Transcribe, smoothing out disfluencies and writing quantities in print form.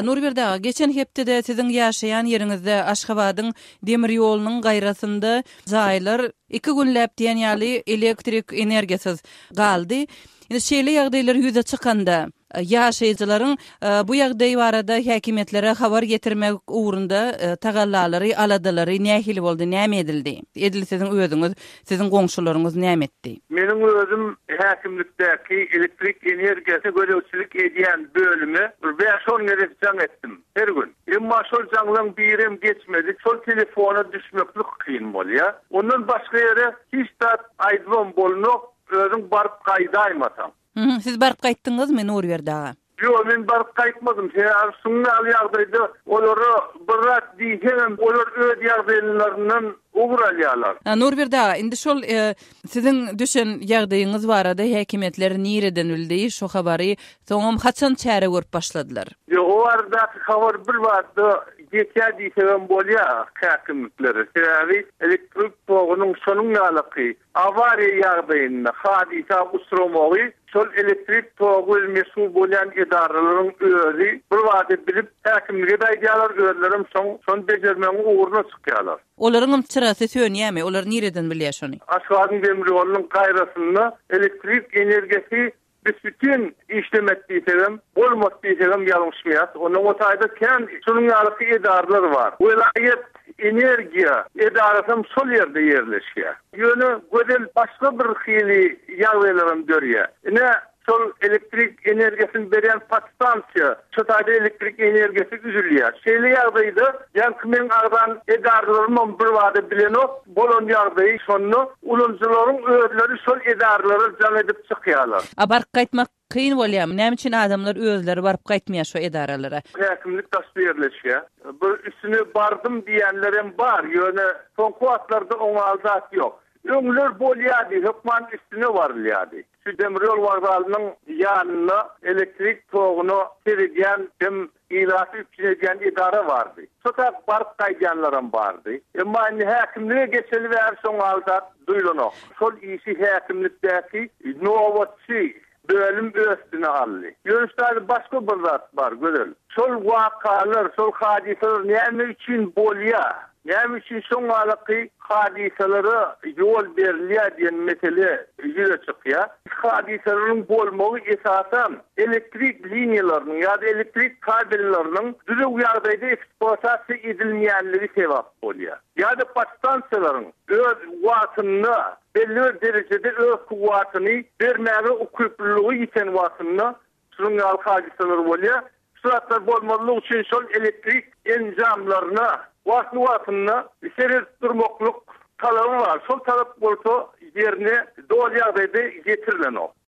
Nurberdi aga, geçen hepdede siziň ýaşaýan ýeriňizde Aşgabadyň demir ýolunyň gaýrasynda jaýlar iki günläp diýen ýaly elektrik energiýasyz galdy. Indi şeýle ýagdaýlar ýüze çykanda, ýaşaýjylaryň bu ýagdaý barada häkimiýetlere habar ýetirmek ugrunda tagallalary, aladalary nähili boldy, näme edildi? Edil siziň özüňiz, siziň goňşularyňyz näme etdi? Meniň özüm häkimlikdäki elektrik energiýasy gözegçilik edýän bölüme bir bäş-on gezek jaň etdim, her gün. Emma şol jaňlaň birem geçmedi. Şol telefona düşmeklik kyn bolýar. Ondan başga ýere hiç zat aýdybam bolnok, özüň baryp gaýdaýmasaň. Hü, siz baryp gaýtdyňyzmy, Nurberdi aga? Ýok, men baryp gaýtmadym. Sebäbi şunuň ýaly ýagdaýda olara bir zat diýseňem, olar öz ýagdaýlaryndan ugur alýarlar. Nurberdi aga, indi şol siziň düşen ýagdaýyňyz barada häkimiýetler nireden bildi şo habary, soňam haçan çäre görüp başladylar? Ýok, o baradaky habar birbada geçýär diýsegem bolýar häkimliklere. Sebäbi elektrik togunyň şonuň ýalaky Awariýa ýagdaýynda hadysa uçramagy şol elektrik togy bilen meşgul bolýan edaralaryň özi birbada bilip, häkimlige-de aýdýarlar, özlerem soň şony bejermegiň ugruna çykýarlar. Olaryňam çyrasy sönýärmi? Olar nireden bilýär şony? Aşgabadyň demir ýolunyň gaýrasynda elektrik energiýasy Büs-bütin işlemek diýsegem, bolmady diýsegem ýalňyşmaýas. Ondan o taýda kän şunuň ýalyky edaralar bar. Welaýat energiýa edarasam şol ýerde ýerleşýär. Ýöne Gözel başga bir hili ýagdaýlaram dörýär. Ine, şol elektrik energiýasyny berýän podstansiýa, şo taýda elektrik energiýasy üzülýär. Şeýle ýagdaýda ýaňky meň agzan edaralarymam birbada bilenok. Bolan ýagdaýy şonda ulanyjylaryň özleri şol edaralara jaň edip çykýarlar. A baryp gaýtmak kyn bolýarmy? Näme üçin adamlar özleri baryp gaýtmaýar şo edaralara? Häkimlik daşda ýerleşýär. Bir üstüne bardym diýýänlerem bar, ýöne soňky wagtlarda oňaly zat ýok. Öňler bolýardy, hökman üstüne barylýardy. Şu demirýol wokzalynyň ýanynda elektrik toguna seredýän hem ilaty üpjün edýän edara bardy. Şo tarap baryp gaýdýanlaram bardy. Emma indi häkimlige geçeli bäri şoň ýaly zat duýlanok. Şol işi häkimlikdäki nobatçy bölüm öz üstüne aldy. Ýöne şu taýda başga bir zat bar, Gözel. Şol wakalar, şol hadysalar näme üçin bolýar? Näme üçin şoň ýalyky hadysalara ýol berilýär diýen mesele ýüze çykýar. Hadysalaryň bolmagy esasan elektrik liniýalarynyň ýa-da elektrik kabelleriniň düzüw ýagdaýda ekspluatasiýa edilmeýänligi sebäp bolýar. Ýa-da podstansiýalaryň öz wagtynda belli bir derejede öz kuwwatyny bermäge ukyplylygy ýiten wagtynda Şunuň ýaly hadysalar bolýar. Şu zatlar bolmazlygy üçin şol elektrik enjamlaryna wagtly-wagtynda seredip durmaklyk talaby bar. Şol talap bolsa ýerine doly ýagdaýda ýetirilenok.